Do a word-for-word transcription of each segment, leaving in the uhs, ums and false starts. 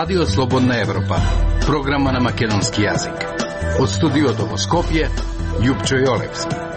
Радио Слободна Европа, програма на македонски јазик. Од студиото во Скопје, Љупчо Јолевски.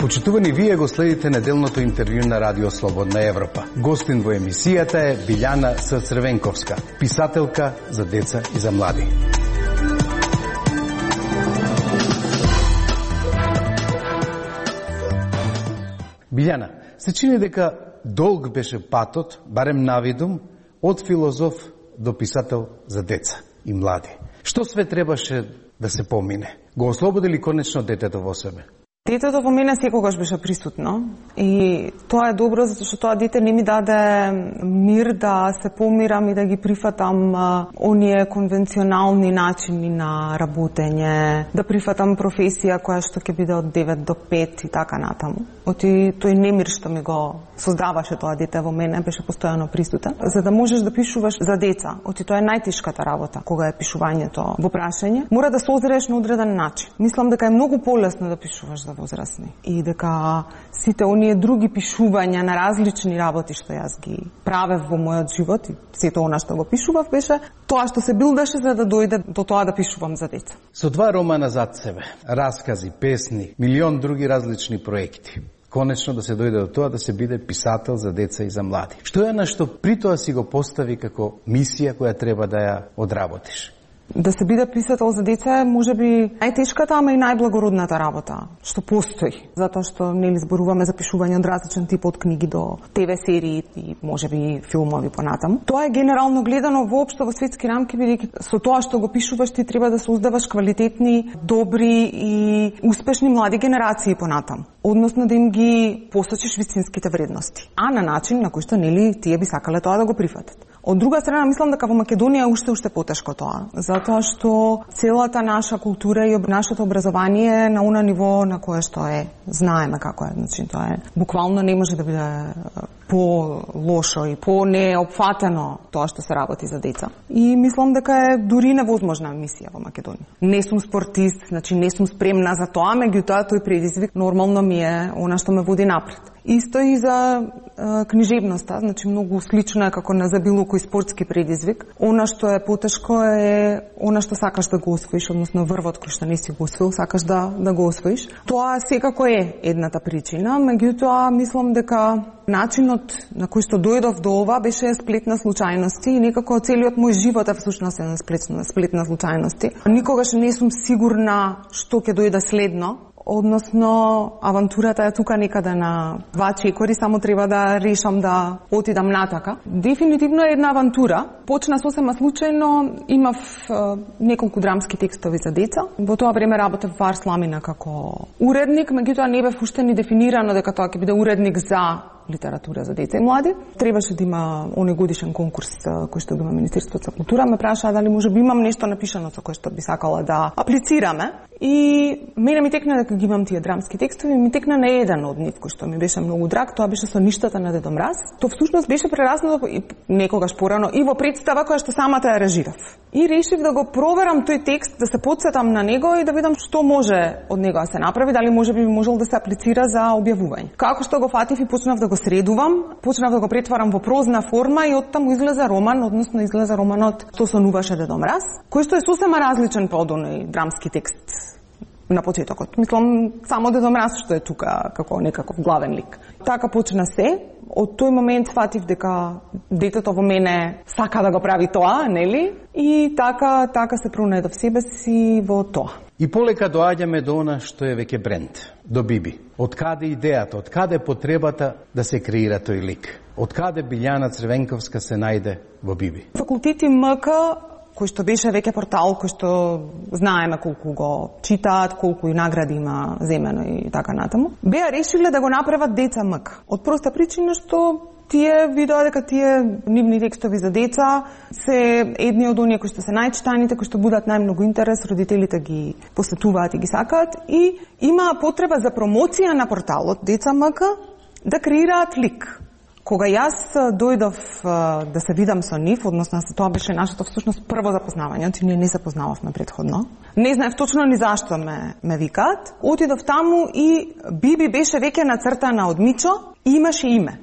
Почитувани, вие го следите неделното интервју на Радио Слободна Европа. Гостин во емисијата е Билјана С. Црвенковска, писателка за деца и за млади. Билјана, се чини дека долг беше патот, барем навидум, од филозоф до писател за деца и млади. Што све требаше да се помине? Го ослободи ли конечно детето во себе? Детето во мене секогаш беше присутно и тоа е добро затоа што тоа дете не ми даде мир да се помирам и да ги прифатам а, оние конвенционални начини на работење, да прифатам професија која што ќе биде од девет до пет и така натаму. Оти тој немир што ми го создаваше тоа дете во мене беше постојано присутен. За да можеш да пишуваш за деца, оти тоа е најтешката работа кога е пишувањето во прашање, мора да созрееш на одреден начин. Мислам дека е многу полесно да пишуваш за возрастни и дека сите оние други пишувања на различни работи што јас ги правев во мојот живот и сето она што го пишував беше тоа што се билдаше за да дојде до тоа да пишувам за деца. Со два романа зад себе, раскази, песни, милион други различни проекти, конечно да се дојде до тоа да се биде писател за деца и за млади. Што е на што при тоа си го постави како мисија која треба да ја одработиш? Да се биде писател за деца е можеби најтешката, ама и најблагородната работа што постои, затоа што нели зборуваме за пишување од различен тип од книги до те ве серии и можеби филмови понатаму. Тоа е генерално гледано воопшто во светски рамки, бидејќи со тоа што го пишуваш ти треба да создаваш квалитетни, добри и успешни млади генерации понатаму, односно да им ги посочиш вистинските вредности, а на начин на кој што нели тие би сакале тоа да го прифатат. Од друга страна, мислам дека во Македонија уште уште потешко тоа, затоа што целата наша култура и нашето образование е на она ниво на кое што е, знаеме како е, значи тоа е буквално не може да биде по-лошо и по-неопфатено тоа што се работи за деца. И мислам дека е дури невозможна мисија во Македонија. Не сум спортист, значи не сум спремна за тоа, меѓутоа тој предизвик нормално ми е она што ме води напред. Исто и за е, книжевноста, значи многу слично е како на за било кој спортски предизвик. Она што е потешко е она што сакаш да го освоиш, односно врвот кој што не си го освоил, сакаш да да го освоиш. Тоа секако е едната причина, меѓутоа мислам дека начинот на кој што дојдов до ова беше сплет на случајности и некако целиот мој живот е всушност еден сплет на сплет на случајности. Никогаш не сум сигурна што ќе дојде следно. Односно, авантурата е тука некаде на два чекори, само треба да решам да отидам натака. Дефинитивно е една авантура. Почна сосема случајно, имав е, неколку драмски текстови за деца. Во тоа време работев во Арсламина како уредник, меѓутоа не бев уште ни дефинирано дека тоа ќе биде уредник за литература за деца и млади. Требаше да има онегодишен конкурс кој што го има Министерството за култура. Ме прашаа дали може би имам нешто напишано со кое што би сакала да аплицираме. И мене ми текна дека ги имам тие драмски текстови, ми текна на еден од нив кој што ми беше многу драг, тоа беше со ништата на Дедо Мраз. Тоа всушност беше прераснато и некогаш порано и во представа која што самата ја режирав. И решив да го проверам тој текст, да се потсетам на него и да видам што може од него да се направи, дали може би можел да се аплицира за објавување. Како што го фатив и почнав да го средувам, почнав да го претварам во прозна форма и оттаму излезе роман, односно излезе романот Што сонуваше Дедо Мраз, кој што е сосема различен од оној драмски текст на почетокот. Мислам, само Дедо Мраз што е тука како некаков главен лик. Така почна се. Од тој момент фатив дека детето во мене сака да го прави тоа, нели? И така така се пронајдов себе си во тоа. И полека доаѓаме до она што е веќе бренд, до Биби. Од каде идејата, од каде потребата да се креира тој лик? Од каде Билјана Црвенковска се најде во Биби? Факултети МК, кој што беше веќе портал, кој што знаеме колку го читаат, колку и награди има земено и така натаму, беа решиле да го направат Деца МК. Од проста причина што тие видоа дека тие нивни текстови за деца се едни од оние кои што се најчитаните, кои што будат најмногу интерес, родителите ги посетуваат и ги сакаат и има потреба за промоција на порталот Деца МК да креираат лик. Кога јас дојдов да се видам со нив, односно тоа беше нашето всушност прво запознавање, ти ние не се познававме претходно. Не знаев точно ни зашто ме ме викаат. Отидов таму и Биби беше веќе нацртана од Мичо и имаше име.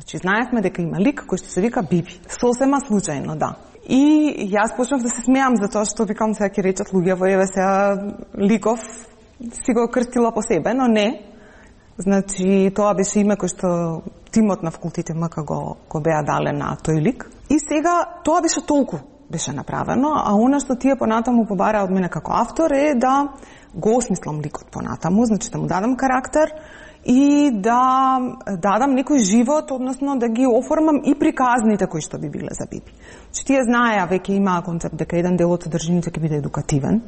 Значи знаевме дека има лик кој што се вика Биби. Сосема случајно, да. И јас почнав да се смеам за тоа што викам сега ќе речат луѓе, еве сега ликов си го крстила по себе, но не. Значи тоа беше име кој што тимот на факултете МК го го беа дале на тој лик. И сега тоа беше толку беше направено, а она што тие понатаму побара од мене како автор е да го осмислам ликот понатаму, значи да му дадам карактер и да дадам некој живот, односно да ги оформам и приказните кои што би биле за Биби. Значи тие знаеа, веќе имаа концепт дека еден дел од содржините ќе биде едукативен,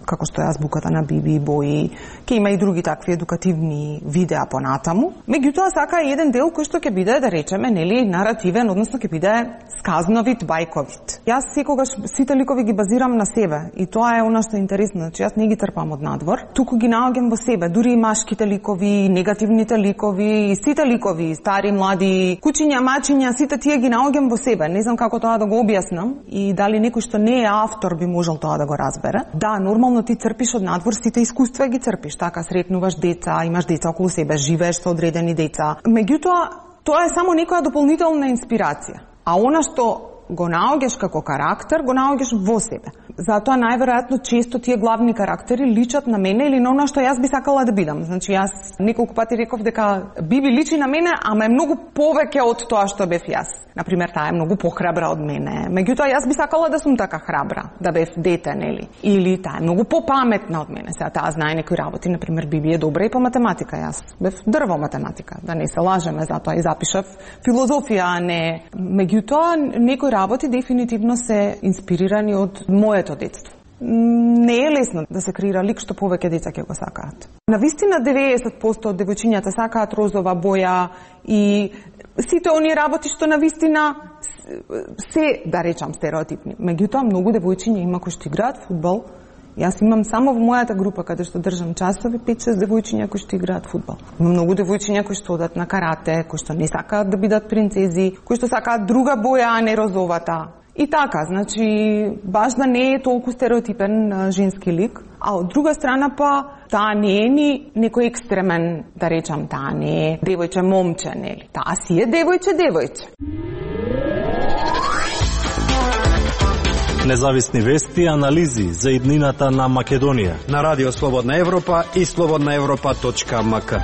како што е азбуката на Биби, бои, ќе има и други такви едукативни видеа понатаму. Меѓутоа сака еден дел кој што ќе биде, да речеме, нели, наративен, односно ќе биде сказновит, бајковит. Јас секогаш сите ликови ги базирам на себе и тоа е она што е интересно, значи јас не ги трпам од надвор, туку ги наоѓам во себе, дури и машките ликови, негативните ликови, сите ликови, стари, млади, кучиња, мачиња, сите тие ги наоѓам во себе. Не знам како тоа да го објаснам и дали некој што не е автор би можел тоа да го разбере. Да, нормално ти црпиш од надвор, сите искуства ги црпиш, така сретнуваш деца, имаш деца околу себе, живееш со одредени деца. Меѓутоа, тоа е само некоја дополнителна инспирација. А она што го наоѓаш како карактер, го наоѓаш во себе. Затоа најверојатно често тие главни карактери личат на мене или на она што јас би сакала да бидам. Значи јас неколку пати реков дека Биби личи на мене, ама е многу повеќе од тоа што бев јас. Например, таа е многу похрабра од мене. Меѓутоа јас би сакала да сум така храбра, да бев дете, нели? Или таа е многу попаметна од мене. Сега таа знае некои работи, например Биби е добра и по математика, јас бев дрво математика, да не се лажеме, затоа и запишав филозофија, а не. Меѓутоа некои работи дефинитивно се инспирирани од моето детство. Не е лесно да се креира лик што повеќе деца ќе го сакаат. Навистина деветдесет проценти од девојчињата сакаат розова боја и сите оние работи што навистина се, да речам, стереотипни. Меѓутоа, многу девојчиња има кои што играат фудбал. Јас имам само во мојата група каде што држам часови пет-шест девојчиња кои што играат фудбал. Има многу девојчиња кои што одат на карате, кои што не сакаат да бидат принцези, кои што сакаат друга боја, а не розовата. И така, значи, баш да не е толку стереотипен женски лик, а од друга страна па, таа не е ни некој екстремен, да речам, таа не е девојче момче, нели? Таа си е девојче девојче. Независни вести и анализи за иднината на Македонија на Радио Слободна Европа и слободна европа точка ем ка.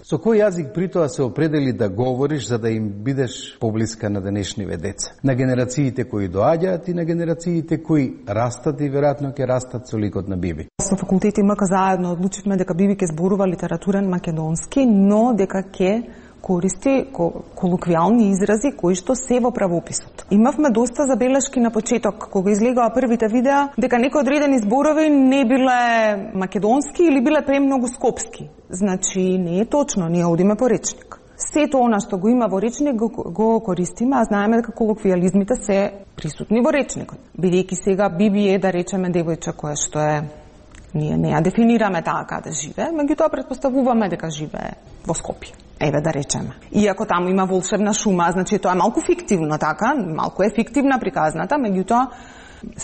Со кој јазик при тоа се определи да говориш за да им бидеш поблиска на денешниве деца? На генерациите кои доаѓаат и на генерациите кои растат и веројатно ќе растат со ликот на Биби. Со факултети МК заедно одлучивме дека Биби ќе зборува литературен македонски, но дека ќе користи колоквијални изрази кои што се во правописот. Имавме доста забелешки на почеток кога излегоа првите видеа дека некои одредени зборови не биле македонски или биле премногу скопски. Значи не е точно, ние одиме по речник. Сето она што го има во речник го, го користиме, а знаеме дека колоквијализмите се присутни во речникот. Бидејќи сега Биби е, да речеме, девојче кое што е, ние не ја дефинираме таа каде живее, меѓутоа претпоставуваме дека живее во Скопје. Еве да речеме. Иако таму има волшебна шума, значи тоа е малку фиктивно, така, малку е фиктивна приказната, меѓутоа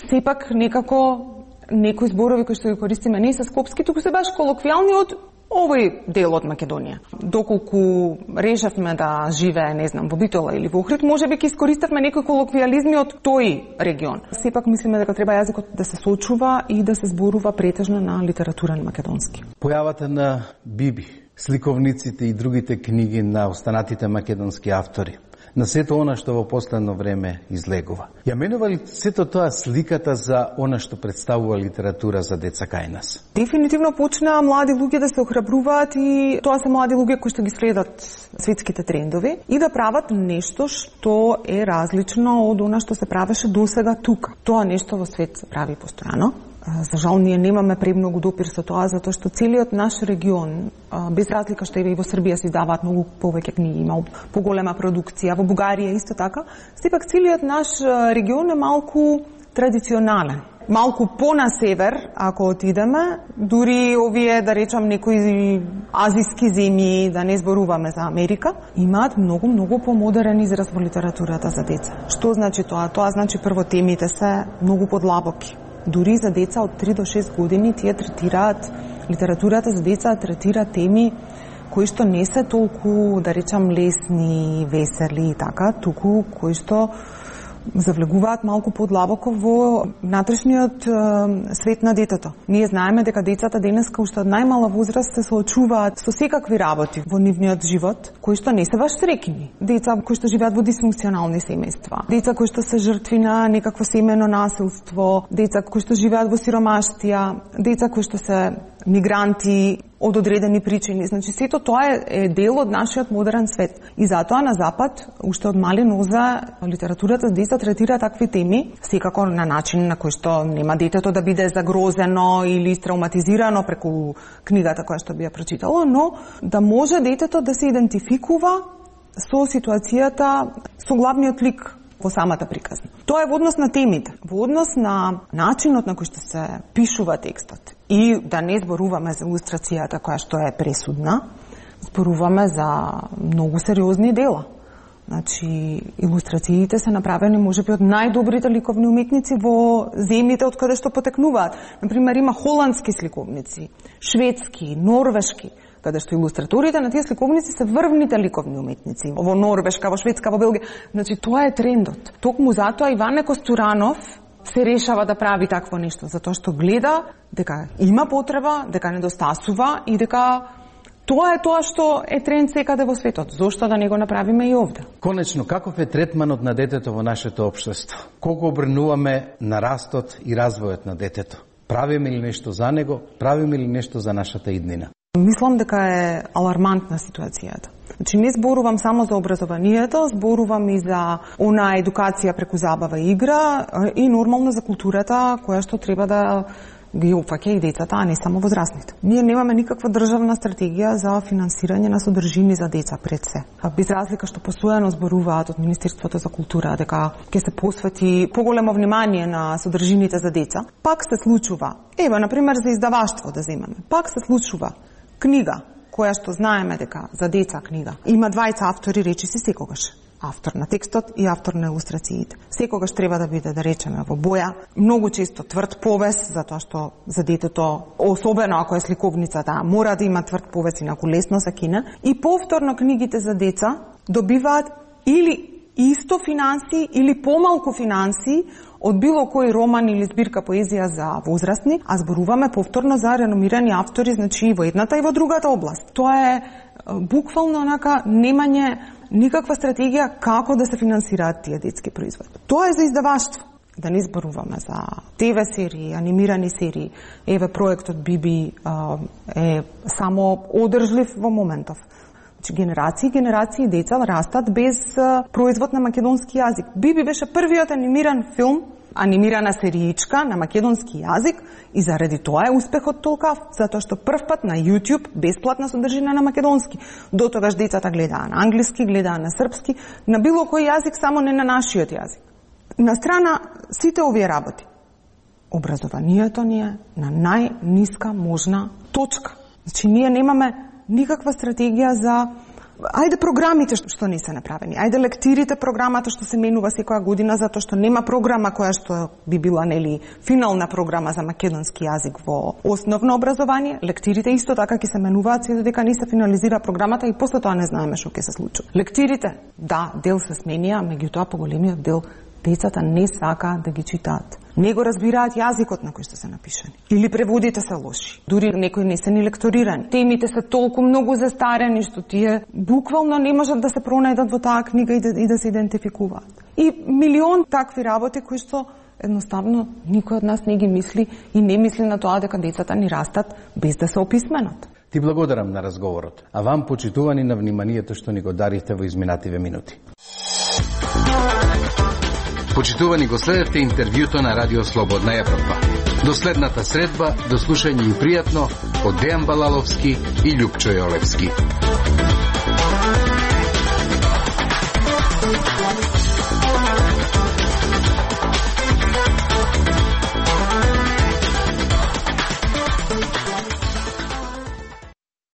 сепак некако некои зборови кои што ги користиме не се скопски, туку се баш колоквијални од овој дел од Македонија. Доколку решавме да живее, не знам, во Битола или во Охрид, можеби ќе искористевме некои колоквијализми од тој регион. Сепак мислиме дека треба јазикот да се сочува и да се зборува претежно на литературен македонски. Појавата на Биби, сликовниците и другите книги на останатите македонски автори, на сето она што во последно време излегува. Ја менува ли сето тоа сликата за она што представува литература за деца кај нас? Дефинитивно почнаа млади луѓе да се охрабруваат и тоа се млади луѓе кои што ги следат светските трендови и да прават нешто што е различно од она што се правеше досега тука. Тоа нешто во свет се прави постојано. За жал, ние немаме премногу допир со тоа, затоа што целиот наш регион, без разлика што и во Србија се издаваат многу повеќе книги, има поголема продукција, во Бугарија исто така, сепак целиот наш регион е малку традиционален. малку по-на север, ако отидеме, дури овие, да речам, некои азиски земји, да не зборуваме за Америка, имаат многу, многу помодерен израз во литературата за деца. Што значи тоа? Тоа значи прво темите се многу подлабоки. Дури за деца од три до шест години тие третираат, литературата за деца третира теми кои што не се толку, да речам, лесни, весели и така, туку кои што завлегуваат малку подлабоко во внатрешниот е, свет на детето. Ние знаеме дека децата денеска уште од најмала возраст се соочуваат со секакви работи во нивниот живот, кои што не се баш среќни. Деца кои што живеат во дисфункционални семејства, деца кои што се жртви на некакво семено насилство, деца кои што живеат во сиромаштија, деца кои што се мигранти од одредени причини. Значи, сето тоа е, е дел од нашиот модерен свет. И затоа на Запад, уште од мали ноза, литературата за деца третира такви теми, секако на начин на кој што нема детето да биде загрозено или травматизирано преку книгата која што би ја прочитало, но да може детето да се идентификува со ситуацијата, со главниот лик во самата приказна. Тоа е во однос на темите, во однос на начинот на кој што се пишува текстот. И да не зборуваме за илустрацијата која што е пресудна, зборуваме за многу сериозни дела. Значи, илустрациите се направени можеби од најдобрите ликовни уметници во земјите од каде што потекнуваат. Например, има холандски сликовници, шведски, норвешки, каде што илустраторите на тие сликовници се врвните ликовни уметници. Во Норвешка, во Шведска, во Белгија. Значи, тоа е трендот. Токму затоа Иване Костуранов се решава да прави такво нешто, затоа што гледа дека има потреба, дека недостасува и дека тоа е тоа што е тренд секаде во светот. Зошто да не го направиме и овде? Конечно, каков е третманот на детето во нашето општество? Колку обрнуваме на растот и развојот на детето? Правиме ли нешто за него? Правиме ли нешто за нашата иднина? Мислам дека е алармантна ситуацијата. Значи, не зборувам само за образованието, зборувам и за она едукација преку забава и игра и нормално за културата која што треба да ги опфаќа и децата, а не само возрастните. Ние немаме никаква државна стратегија за финансирање на содржини за деца пред се. Без разлика што постојано зборуваат од Министерството за култура дека ќе се посвети поголемо внимание на содржините за деца, пак се случува. Ева, например, за издаваштво да земеме. Пак се случува книга која што знаеме дека за деца книга има двајца автори, речиси секогаш. Автор на текстот и автор на илустрациите. Секогаш треба да биде, да речеме, во боја, многу често тврд повес, затоа што за детето, особено ако е сликовница, да, мора да има тврд повес, инаку лесно се кине. И повторно книгите за деца добиваат или исто финанси или помалку финанси од било кој роман или збирка поезија за возрастни, а зборуваме повторно за реномирани автори, значи и во едната и во другата област. Тоа е буквално онака немање никаква стратегија како да се финансираат тие детски производи. Тоа е за издаваштво. Да не зборуваме за Т В серии, анимирани серии. Еве проектот Биби е само одржлив во моментов. Значи, генерации, генерации деца растат без производ на македонски јазик. Биби беше првиот анимиран филм, анимирана сериичка на македонски јазик и заради тоа е успехот толкав, затоа што првпат на YouTube бесплатна содржина на македонски. До тогаш децата гледаа на англиски, гледаа на српски, на било кој јазик, само не на нашиот јазик. На страна сите овие работи, образованието ни е на најниска можна точка. Значи, ние немаме никаква стратегија за ајде програмите што не се направени, ајде лектирите програмата што се менува секоја година, затоа што нема програма која што би била, нели, финална програма за македонски јазик во основно образование. Лектирите исто така ќе се менуваат се додека не се финализира програмата и после тоа не знаеме што ќе се случи. Лектирите, да, дел се сменија, меѓутоа поголемиот дел децата не сакаат да ги читаат. Не го разбираат јазикот на кој што се напишани. Или преводите се лоши. Дури некои не се ни лекторирани. Темите се толку многу застарени што тие буквално не можат да се пронајдат во таа книга и да, и да се идентификуваат. И милион такви работи кои што едноставно никој од нас не ги мисли и не мисли на тоа дека децата ни растат без да се описменат. Ти благодарам на разговорот, а вам почитувани на вниманието што ни го дарите во изминативе минути. Почитувани, го следевте интервјуто на Радио Слободна Европа. До следната средба, до слушање и пријатно од Дејан Балаловски и Љупчо Јолевски.